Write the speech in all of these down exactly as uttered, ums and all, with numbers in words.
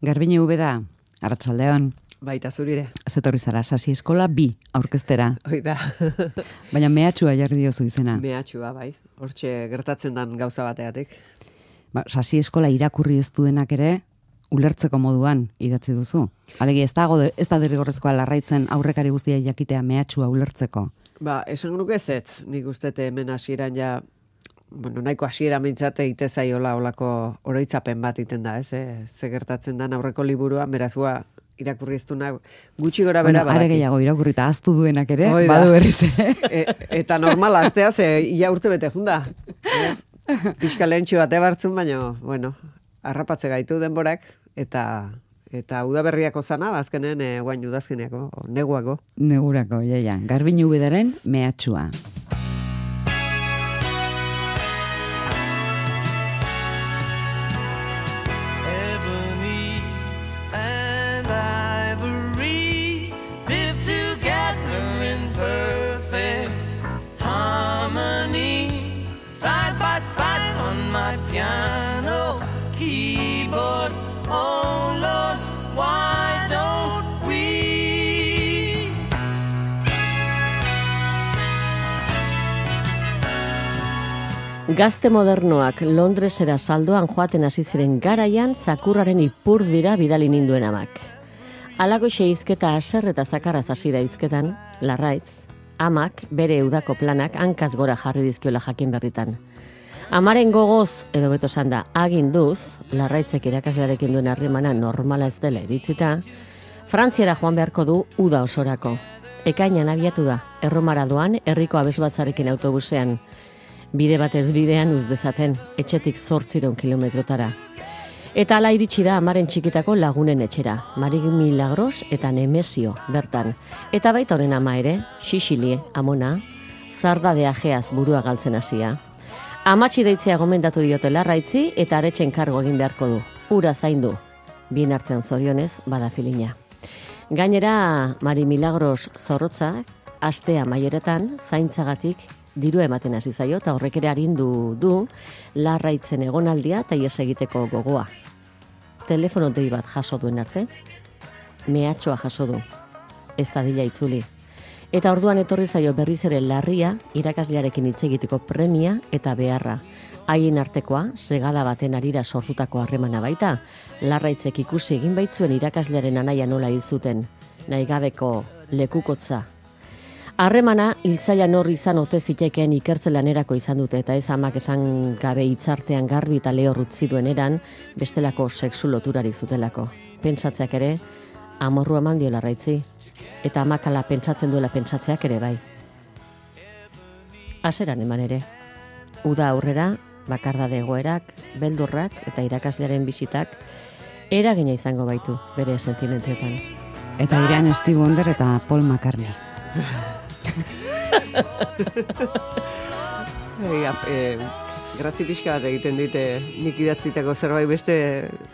Garbine Ubeda, arratsaldeon. Baita zurire. Zetorri zara, Sasi Eskola bi aurkeztera. Oida. Baina mehatxua jarri diozu izena. Mehatxua, bai. Hortxe gertatzen dan gauza bateatik. Ba, Sasi Eskola irakurri ez duenak ere, ulertzeko moduan idatzi duzu. Alegi, ez dago, ez da derrigorrezkoa larraitzen aurrekari guztia jakitea mehatxua ulertzeko. Ba, esan nuke ez ez. Nik ustete hemen hasieran ja, bueno, nahiko hasiera mintzate ite zaiola olako oroitzapen bat iten da, ez? Eh? Ze gertatzen dan aurreko liburuan, berazua irakurri ez duna gutxi gora bera bueno, are gehiago irakurrita ahaztu duenak ere, Oida. badu berriz ere. E, eta normal aztea, ze ia urte bete junda. Eh? Pixka lehentxo bate bartzun, baina, bueno, harrapatze gaitu denborak, eta eta udaberriako zana, azkenen e, guain udazkeneako, neguako. Negurako, jaia. Garbine Ubedaren mehatxua. Piano, keyboard, oh Lord, why don't we? Gazte modernoak Londresera saldoan joaten hasi ziren garaian zakurraren ipur dira bidali ninduen amak. Alagoxe hizketa aser eta zakarraz hasi da hizketan, Larraitz, amak bere udako planak hankaz gora jarri dizkiola jakin berritan. Amaren gogoz, edo beto sanda, aginduz, Larraitzek irakaslearekin duen harremana normala ez dela iritzita, Frantziara joan beharko du uda osorako. Ekainan abiatu da, Erromara doan, herriko abesbatzarekin autobusean. Bide batez bidean uz dezaten, etxetik zortziron kilometrotara. Eta ala iritsi da amaren txikitako lagunen etxera, Mari Milagros eta Nemesio bertan. Eta baita honen ama ere, Xixili, amona, zardadea jeaz burua galtzen hasia. Amatxi deitzea gomendatu diote Larraitzi eta aretxen kargo egin beharko du. Ura zaindu. Bien artean zorionez, bada filina. Gainera, Mari Milagros zorrotzak, astea maieretan, zaintzagatik diru ematen hasi zaio eta horrek ere arindu du Larraitzen egonaldia eta ihes egiteko gogoa. Telefono dei bat jaso duen arte, mehatxoa jaso du. Ez da dila itzuli. Eta orduan etorri zaio berriz ere larria irakaslearekin hitz egiteko premia eta beharra. Haien artekoa, segada baten arira sortutako harremana baita, Larraitzek ikusi egin baitzuen irakaslearen anaia nola hil zuten, nahigabeko lekukotza. Harremana hiltzailan hor izan ote zitekeen ikertzelanerako izan dute eta ez amak esan gabe hitzartean garbi eta lehor utzi duen eran bestelako sexu loturarik zutelako. Pentsatzeak ere, amorru eman dio Larraitzi, eta amakala pentsatzen duela pentsatzeak ere bai. Aseran eman ere. Uda aurrera, bakardade egoerak, beldurrak eta irakaslearen bisitak eragina izango baitu bere sentimentuetan. Eta irean Stevie Wonder eta Paul McCartney. Ega, e, grazi pixka bat egiten dite nik idatzitako zerbait beste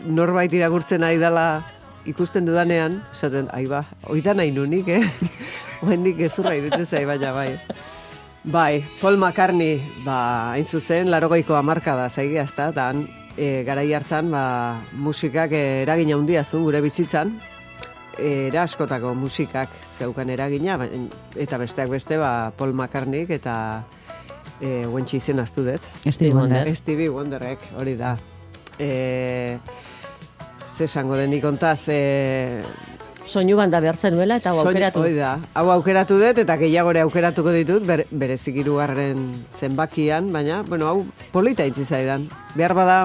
norbait irakurtzen nahi dela ikusten dudanean, esaten, ai ba, oida nahi nunik, eh? Oendik ezurra irutzen zai, baina bai. Bai, Paul McCartney, ba, hain zuzen, larogeiko hamarka da zaigia, ezta, eta e, garai hartan, ba, musikak e, eragina handia zuen gure bizitzan, e, era askotako musikak zeukan eragina, ba, eta besteak beste, ba, Paul McCartney eta e, guentxe izen aztu dut. Stevie Wonder. Stevie Wonderrek, hori da. E, esango denik ontaz, e... soinu banda behar zenuela eta hau aukeratu. Hoi da, hau aukeratu dut eta gehiagore aukeratuko ditut, ber, berezik hirugarren zenbakian, baina, bueno, hau polita itzi zaidan. Behar bada,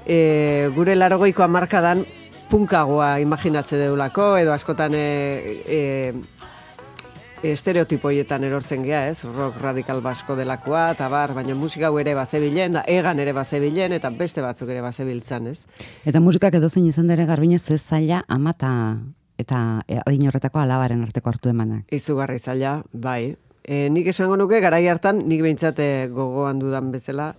e, gure larogeiko hamarkadan punkagoa imaginatze deulako, edo askotan e, e, estereotipoietan erortzen gea, ez? Rock radikal basko delakoa, eta bar, baina musika hau ere bazebilen, da egan ere bazebilen, eta beste batzuk ere bazebiltzan, ez? Eta musikak edozein izan dere Garbine ze zaila amata eta adin horretako alabaren arteko hartu emanak. Izugarri zaila, bai. E, nik esango nuke, garai hartan, nik behintzate gogoan dudan bezala,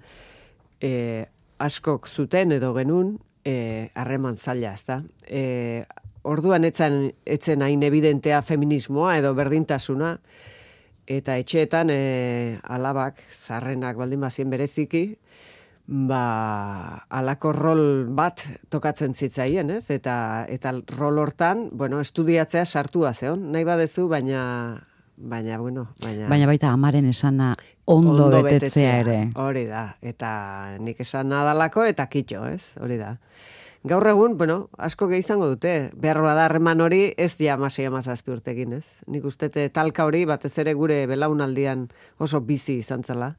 e, askok zuten edo genuen, harreman e, zaila, ez da? E, Orduan etzen, etzen hain evidentea feminismoa edo berdintasuna, eta etxeetan e, alabak, zarrenak baldin bazien bereziki, ba, alako rol bat tokatzen zitzaien, ez? Eta, eta rol hortan, bueno, estudiatzea sartua zeon, nahi badezu, baina, baina, bueno, baina... Baina baita amaren esana ondo, ondo betetzea, betetzea ere. Hori da, eta nik esan nadalako eta kitxo, ez? Hori da. Gaur egun, bueno, asko gehi izango dute, behar bada harreman hori ez ja masei amazazpi urtekin, ez? Nik ustete talka hori batez ere gure belaunaldian oso bizi izan zela.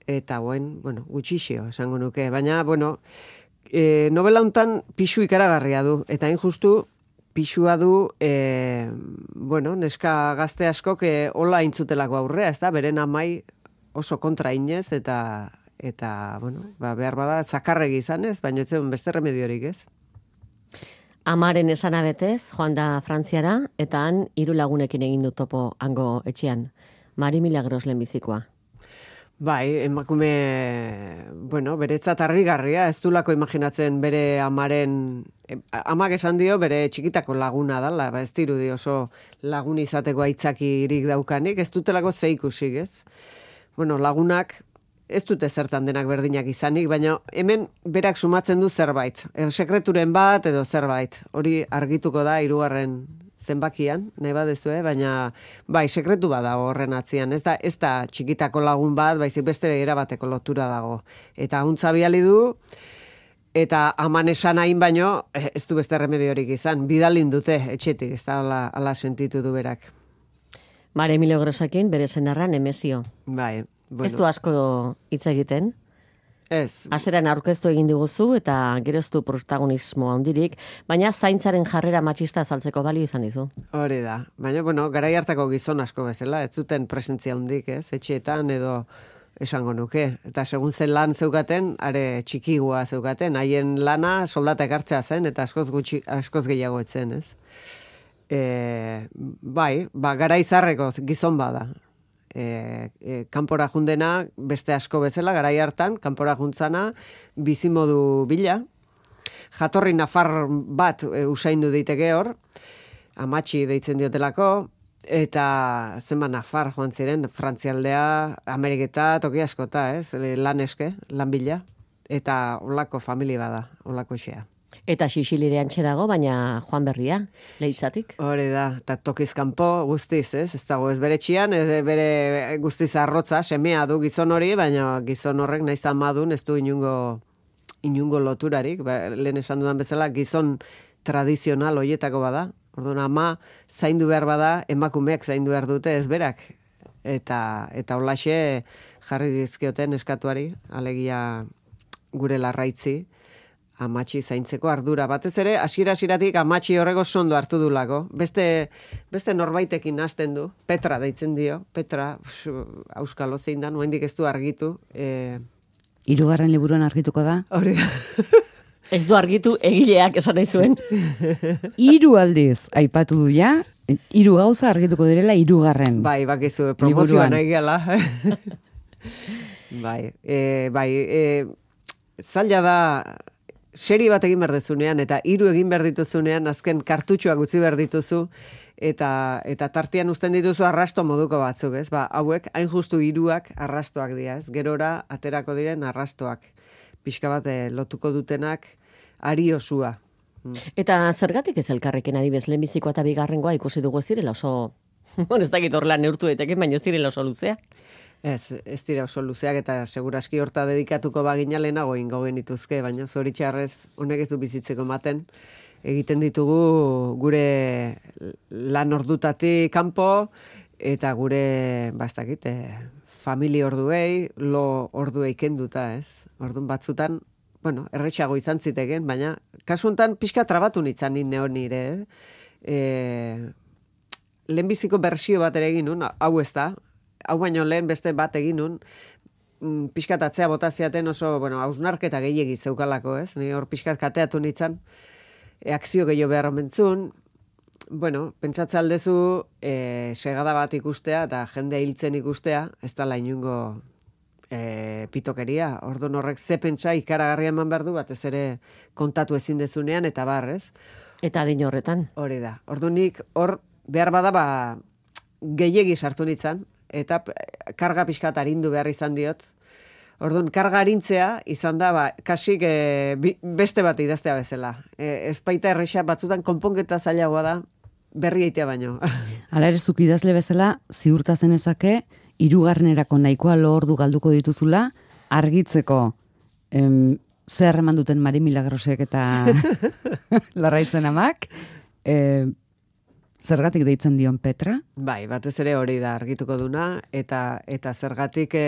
Eta guen, bueno, gutxixio esango nuke, baina, bueno, e, novela hontan pixu ikaragarria du, eta hain justu pixua du, e, bueno, neska gazte askok e, hola intzutelako aurrea, ez da, beren amai oso kontra inez, eta, eta bueno, ba, behar bada zakarregi izan ez, baina ez beste remediorik ez. Amaren esana betez, joan da Frantziara, eta han hiru lagunekin egin du topo hango etxean. Mari Milagros lehenbizikoa. Bai, emakume, bueno, beretzat harrigarria, ez dulako imaginatzen bere amaren, amak esan dio bere txikitako laguna dala, ba ez dirudi oso lagun izateko aitzakirik daukanik, ez dutelako ze ikusik, ez? Bueno, lagunak ez dute zertan denak berdinak izanik, baina hemen berak sumatzen du zerbait, edo sekreturen bat edo zerbait, hori argituko da hirugarren zenbakian, nahi badezu, eh? Baina bai, sekretu bat dago horren atzian, ez da, ez da txikitako lagun bat, baizik beste erabateko lotura dago. Eta huntza biali du, eta aman esan hain baino, ez du beste remediorik izan, bidalin dute etxetik, ez da ala, ala sentitu du berak. Mare Milagrosekin bere senarra Nemesio. Bai, bueno. Ez du asko hitz egiten? Ez. Hasieran aurkeztu egin diguzu eta gero ez du protagonismo handirik, baina zaintzaren jarrera matxista azaltzeko balio izan dizu. Hori da. Baina, bueno, garai hartako gizon asko bezala, ez zuten presentzia handik, ez? Etxeetan edo esango nuke. Eta segun zen lan zeukaten, are txikigua zeukaten, haien lana soldata ekartzea zen, eta askoz, gutxi, askoz gehiago etzen, ez? E, bai, ba, garai zarreko gizon bada. E, e, kanpora jundena, beste asko bezala, garai hartan, kanpora juntzana, bizimodu bila, jatorri nafar bat e, usaindu daiteke hor, amatxi deitzen diotelako, eta zenba nafar joan ziren, Frantzialdea, Ameriketa, toki askota, ez, lan eske, lan bila, eta olako familia bada, olako xea. Eta Sixilire antxe dago, baina Joan Berria, Leitzatik. Hori da, eta tokiz kanpo guztiz, ez? Ez dago ez bere txian, ez bere guztiz arrotza, semea du gizon hori, baina gizon horrek nahiz madun ez du inungo, inungo loturarik. Ba, lehen esan dudan bezala, gizon tradizional hoietako bada. Orduan, ama zaindu behar bada, emakumeak zaindu behar dute ez berak. Eta, eta holaxe jarri dizkioten eskatuari, alegia gure larraitzi, amatxi zaintzeko ardura. Batez ere, hasiera-hasieratik amatxi horrego sondo hartu dulako. Beste, beste norbaitekin hasten du. Petra deitzen dio. Petra, auskalo zein da, noendik ez du argitu. E... Hirugarren liburuan argituko da? Hori da. Ez du argitu egileak esan nahi zuen. Hiru aldiz aipatu du ja, hiru gauza argituko direla hirugarren. Bai, bakizu, promozioa nahi gala. bai, e, bai, e, zaila da... Seri bat egin behar dezunean, eta hiru egin behar dituzunean, azken kartutxoak utzi behar dituzu, eta, eta tartian uzten dituzu arrasto moduko batzuk, ez? Ba, hauek, hain justu hiruak arrastoak dira, ez? Gerora, aterako diren arrastoak. Pixka bat lotuko dutenak, ari osua. Hmm. Eta zergatik ez elkarrekin adibez, lehenbizikoa eta bigarrengoa ikusi dugu ez direla oso... Bueno, ez dakit horrela neurtu daiteke, baina ez direla oso luzeak. Ez, ez dira oso luzeak eta seguraski horta dedikatuko bagina lehenago ingo genituzke, baina zoritxarrez honek ez du bizitzeko maten. Egiten ditugu gure lan ordutatik kanpo eta gure, ba ez dakit, famili orduei, lo orduei kenduta, ez? Ordun batzutan, bueno, erretxago izan ziteken, baina kasu honetan pixka trabatu nitzan nire nire, eh? E, lehenbiziko bersio bat ere egin nun, hau ez da, hau baino lehen beste bat egin nun, pixkatatzea botaziaten oso, bueno, hausnarketa gehiegi zeukalako, ez? Ni hor pixkat kateatu nintzen, e, akzio gehiago behar omentzun, bueno, pentsatze aldezu, e, segada bat ikustea eta jende hiltzen ikustea, ez dala inungo e, pitokeria, orduan horrek ze pentsa ikaragarria eman behar du, batez ere kontatu ezin dezunean, eta bar, ez? Eta adin horretan. Hori da, orduan nik hor behar bada, ba, gehiegi sartu nintzen, eta karga pixkat arindu behar izan diot. Orduan, karga arintzea izan da, ba, kasik e, bi, beste bat idaztea bezala. E, ez baita erresa batzutan konponketa zailagoa da, berri eitea baino. Hala ere, zuk idazle bezala, ziurta zenezake, hirugarrenerako nahikoa lo ordu galduko dituzula, argitzeko em, zer eman duten Mari Milagrosek eta Larraitzen amak, e, zergatik deitzen dion Petra? Bai, batez ere hori da argituko duna, eta eta zergatik e,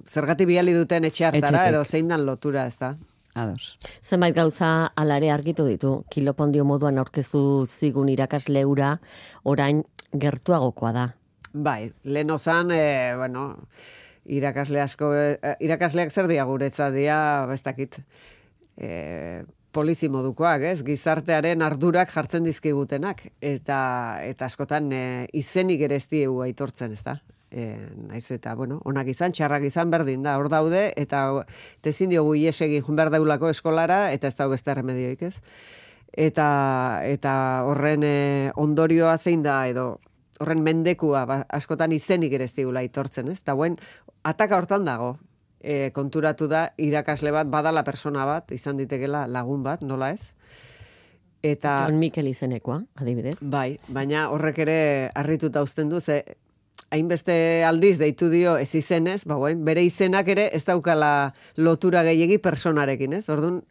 zergatik bidali duten etxe hartara, Etxetik. edo zein dan lotura, ez da? Ados. Zenbait gauza alare argitu ditu. Kilopondio moduan aurkeztu zigun irakasle hura, orain gertuagokoa da. Bai, lehen zan, e, bueno, irakasle asko, e, irakasleak zer dia guretzat dia, ez dakit, e, polizi modukoak, ez? Gizartearen ardurak jartzen dizkigutenak, eta eta askotan e, izenik ere ez diegu aitortzen, ez da? E, naiz eta, bueno, onak izan, txarrak izan berdin da, hor daude, eta tezin diogu iesegin jun behar daulako eskolara, eta ez dago beste remedioik, ez? Eta, eta horren e, ondorioa zein da, edo horren mendekua, ba, askotan izenik ere ez digula aitortzen, ez? Eta buen, ataka hortan dago, e, konturatu da, irakasle bat, badala persona bat, izan ditekela lagun bat, nola ez? Eta, Jon Mikel izenekoa, adibidez. bai, baina horrek ere harrituta uzten du, ze hainbeste aldiz deitu dio ez izenez, ba, buen, bere izenak ere ez daukala lotura gehiegi personarekin, ez? Orduan,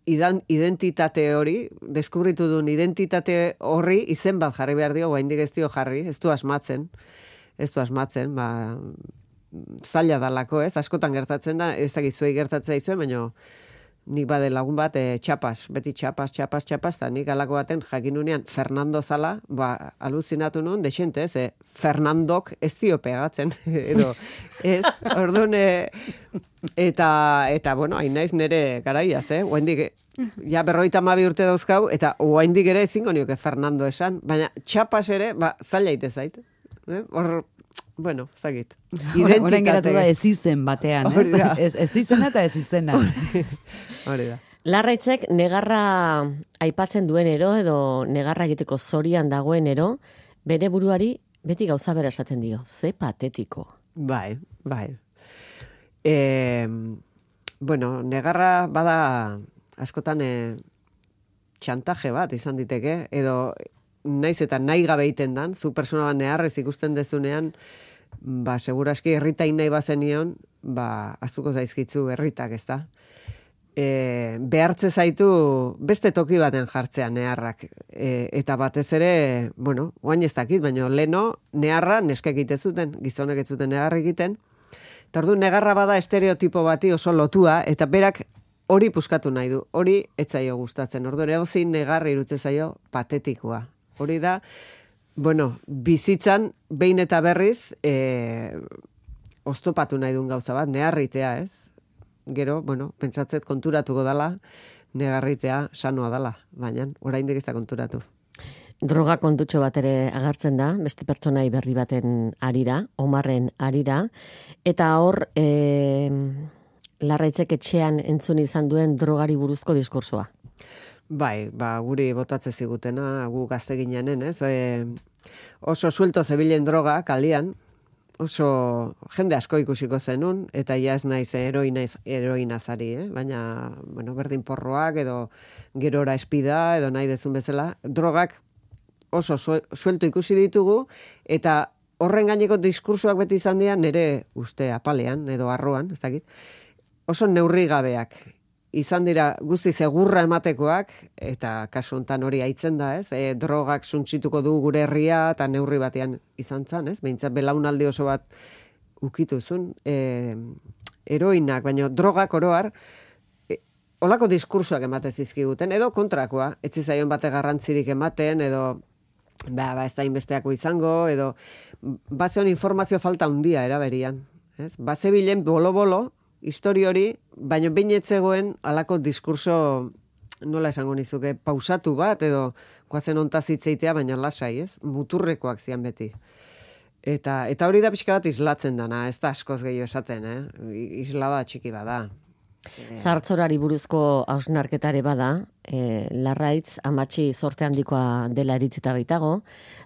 idan, identitate hori, deskubritu duen identitate horri izen bat jarri behar dio, oraindik ez dio jarri, ez du asmatzen, ez du asmatzen, ba, zaila dalako, ez? Askotan gertatzen da, ez dakit zuei gertatzen zaizuen, baina nik bade lagun bat, e, txapas, beti txapas, txapas, txapas, eta nik alako baten jakin nunean Fernando zala, ba, aluzinatu nuen, desente, ez, e, Fernandok ez dio pegatzen, edo, ez, orduan, e, eta, eta, bueno, hain naiz nire garaiaz, eh, oaindik, ja berroita mabi urte dauzkau, eta oaindik ere ezingo nioke Fernando esan, baina txapas ere, ba, zaila ite zait, eh? Hor, bueno, zagit. Horen geratu da ez izen batean, Hori ez? da. Ez, ez izena eta ez izena. Hori da. Larraitzek negarra aipatzen duenero edo negarra egiteko zorian dagoenero, bere buruari beti gauza bera esaten dio. Ze patetiko. Bai, bai. E, bueno, negarra bada askotan e, txantaje bat izan diteke, edo naiz eta nahi gabe egiten dan, zu persona bat neharrez ikusten dezunean, ba, seguraski herritain nahi bazenion, ba, azuko zaizkitzu herritak, ez da? E, behartze zaitu beste toki baten jartzea neharrak. E, eta batez ere, bueno, oain ez dakit, baina leno neharra neskek egite zuten, gizonek ez zuten neharra egiten. Eta orduan negarra bada estereotipo bati oso lotua, eta berak hori puskatu nahi du, hori ez zaio gustatzen. Orduan egozin negarra irutze zaio patetikoa. Hori da, bueno, bizitzan behin eta berriz e, oztopatu nahi duen gauza bat, neharritea, ez? Gero, bueno, pentsatzet konturatuko dala, negarritea sanoa dala, baina oraindik ez da konturatu. Droga kontutxo bat ere agertzen da, beste pertsonai berri baten arira, Omarren arira, eta hor e, Larraitzek etxean entzun izan duen drogari buruzko diskursoa. Bai, ba, guri botatze zigutena, gu gazte gineanen, ez? E, oso suelto zebilen droga kalian, oso jende asko ikusiko zenun, eta ja ez naiz heroina, heroinazari, eh? Baina, bueno, berdin porroak, edo gerora espida, edo nahi dezun bezala, drogak oso suelto ikusi ditugu, eta horren gaineko diskursoak beti izan dira nire uste apalean, edo arroan, ez dakit, oso neurri gabeak. Izan dira guzti segurra ematekoak, eta kasu hontan hori aitzen da, ez? E, drogak suntsituko du gure herria, eta neurri batean izan zan, ez? Behintzat belaunaldi oso bat ukituzun, e, heroinak, baina drogak oroar, e, olako diskursoak emate zizkiguten, edo kontrakoa, etzi zaion bate garrantzirik ematen, edo ba, ba ez da inbesteako izango, edo bazeon informazio falta handia eraberian, ez? Bazebilen bolo-bolo, histori hori, baina behin etzegoen alako diskurso, nola esango nizuke, pausatu bat, edo guazen ontaz hitzeitea, baina lasai, ez? Muturrekoak zian beti. Eta, eta hori da pixka bat islatzen dana, ez da askoz gehiago esaten, eh? Islada txiki bada. Zartzorari buruzko hausnarketare bada, e, Larraitz amatxi zorte handikoa dela eritzita baitago,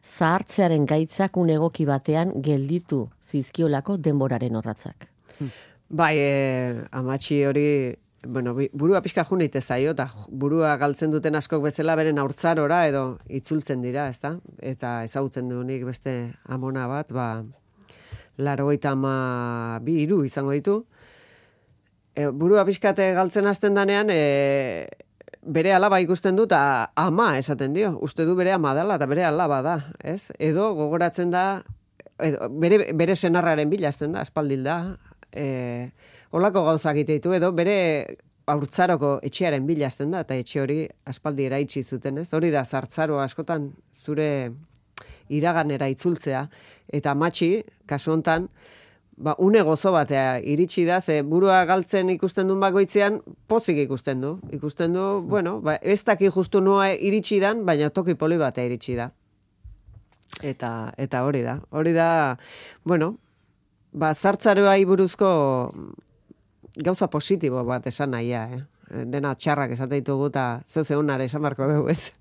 zahartzearen gaitzak un egoki batean gelditu zizkiolako denboraren orratzak. Bai, e, amatxi hori, bueno, burua pixka junite zaio, eta burua galtzen duten askok bezala beren haurtzarora edo itzultzen dira, ezta? Eta ezagutzen dunik beste amona bat, ba, laurogeita ama bi hiru izango ditu. E, burua pixkate galtzen hasten danean, e, bere alaba ikusten du, eta ama esaten dio. Uste du bere ama dela, eta bere alaba da, ez? Edo gogoratzen da, edo, bere, bere senarraren bila hasten da, aspaldil da, E, olako gauzak ditu edo bere haurtzaroko etxearen bila hasten da, eta etxe hori aspaldi eraitsi zuten, ez? Hori da zartzaroa askotan zure iraganera itzultzea, eta amatxi, kasu hontan, ba, une gozo batea iritsi da, ze burua galtzen ikusten duen bakoitzean, pozik ikusten du. Ikusten du, bueno, ba, ez daki justu noa iritsi dan, baina toki poli batea iritsi da. Eta, eta hori da. Hori da, bueno, ba, zartzaroai buruzko gauza positibo bat esan nahia, eh? Dena txarrak esate ditugu eta zeu zeunare esan barko dugu, ez?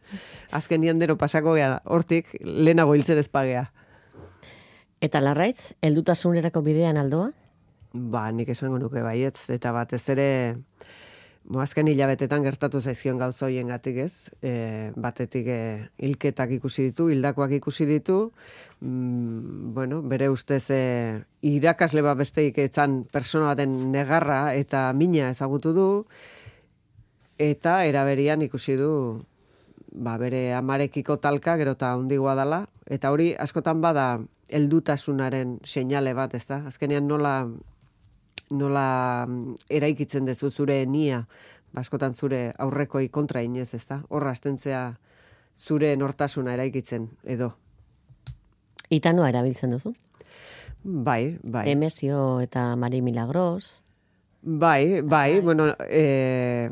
Azken nian dero pasako gea, hortik lehenago hiltzen ezpagea. Eta Larraitz, heldutasunerako bidean aldoa? Ba, nik esango nuke baietz, eta batez ere, bo, azken hilabetetan gertatu zaizkion gauza hoien gatik, ez? E, batetik e, hilketak ikusi ditu, hildakoak ikusi ditu, mm, bueno, bere ustez e, irakasle bat besteik etzan persona baten negarra eta mina ezagutu du, eta eraberian ikusi du ba, bere amarekiko talka gero eta handigoa dela, eta hori askotan bada heldutasunaren seinale bat, ez da? Azkenean nola nola eraikitzen dezu zure nia, askotan zure aurrekoi kontra inez, ez da? Horra astentzea zure nortasuna eraikitzen, edo. Itanoa erabiltzen duzu? Bai, bai. Emezio eta Mari Milagros. Bai, bai, bueno, e,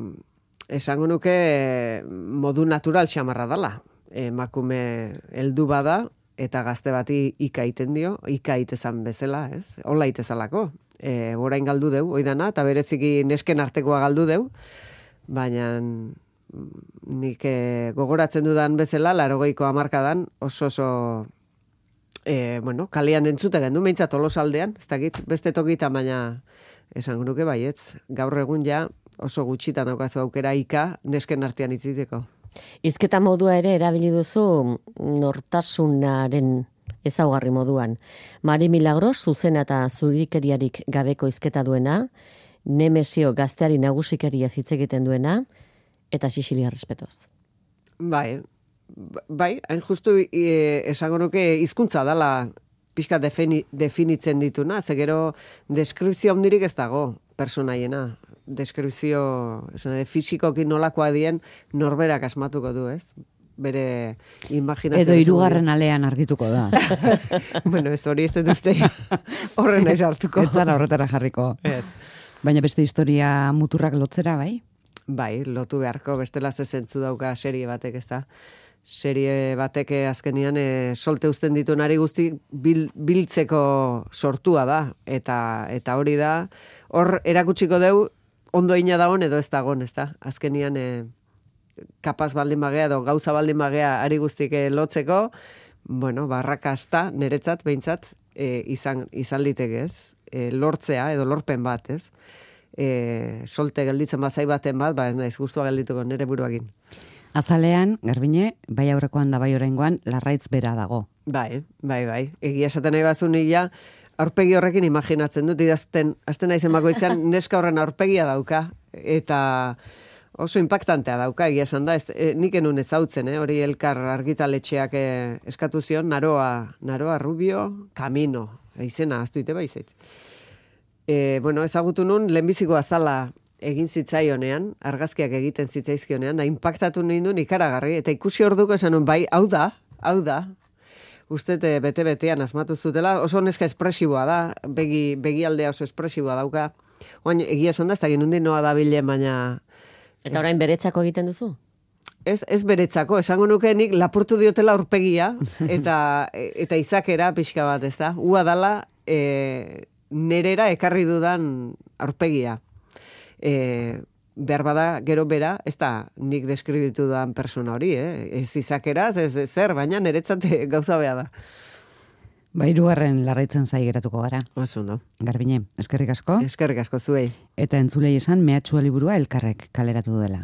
esango nuke modu natural xamarra dala. Emakume heldu bada, eta gazte bati ika iten dio, ika itezan bezala, ez? Hola itezalako. E, orain galdu deu, oidana, eta bereziki nesken artekoa galdu deu, baina nik e, gogoratzen dudan bezala, larogeiko hamarkadan oso oso e, bueno, kalean entzute gendu, meintzat Tolosaldean, ez dakit, beste tokita, baina esango nuke baietz, gaur egun ja oso gutxitan daukazu aukera ika nesken artean itziteko. Hizketa modua ere erabili duzu nortasunaren ezaugarri moduan. Mari Milagros, zuzena eta zurikeriarik gabeko hizketa duena, Nemesio gazteari nagusikeria hitz egiten duena, eta Sicilia respetoz. Bai, bai, hain justu e, esango nuke hizkuntza dala pixka defini, definitzen dituna, ze gero deskripzio handirik ez dago personaiena. Deskripzio, esan, fisikoki nolakoa dien norberak asmatuko du, ez? Bere imaginazio. Edo hirugarren alean argituko da. Bueno, ez hori ez dut uste horren naiz hartuko. Ez zara horretara jarriko. Ez. Baina beste historia muturrak lotzera, bai? Bai, lotu beharko, bestela ze zentzu dauka serie batek, ez da? Serie batek azkenian e, solte uzten ditunari guzti bil, biltzeko sortua da. Eta, eta hori da, hor erakutsiko deu, ondo ina dagoen edo ez dagoen, ez da? Azkenian e, kapaz baldin bagea edo gauza baldin bagea ari guztik lotzeko, bueno, barrakasta, niretzat, behintzat, e, izan, izan liteke, ez? E, lortzea edo lorpen bat, ez? E, solte gelditzen bazai baten bat, ba ez naiz gustua geldituko nire buruakin. Azalean, Garbine, bai aurrekoan da bai oraingoan, Larraitz bera dago. Bai, bai, bai. Egia esaten nahi bazu nila, aurpegi horrekin imaginatzen dut, idazten, azten naizen bakoitzean, neska horren aurpegia dauka, eta oso impactantea dauka, egia esan da, ez, e, nik enun ezautzen, eh? Hori elkar argitaletxeak e, eskatu zion, Naroa, Naroa Rubio, Camino, izena, aztuite baizait. E, bueno, ezagutu nun, lehenbiziko azala egin zitzaionean, argazkiak egiten zitzaizkionean, da impactatu nindun ikaragarri, eta ikusi orduko esan nun, bai, hau da, hau da, uste bete-betean asmatu zutela, oso neska espresiboa da, begi, begialdea oso espresiboa dauka, oain, egia esan da, ez da ginundin noa da bilen, baina... Eta orain beretzako egiten duzu? Ez, ez beretzako, esango nuke nik lapurtu diotela aurpegia, eta, eta izakera pixka bat, ez da, ua dala, e, nerera ekarri dudan aurpegia. E, behar bada gero bera, ez da nik deskribitu dudan persona hori, eh? Ez izakeraz, ez zer, baina niretzat gauza beha da. Ba, hirugarren larraitzen zai geratuko gara. Oso ondo. Garbine, eskerrik asko. Eskerrik asko zuei. Eta entzulei esan mehatxua liburua elkarrek kaleratu duela.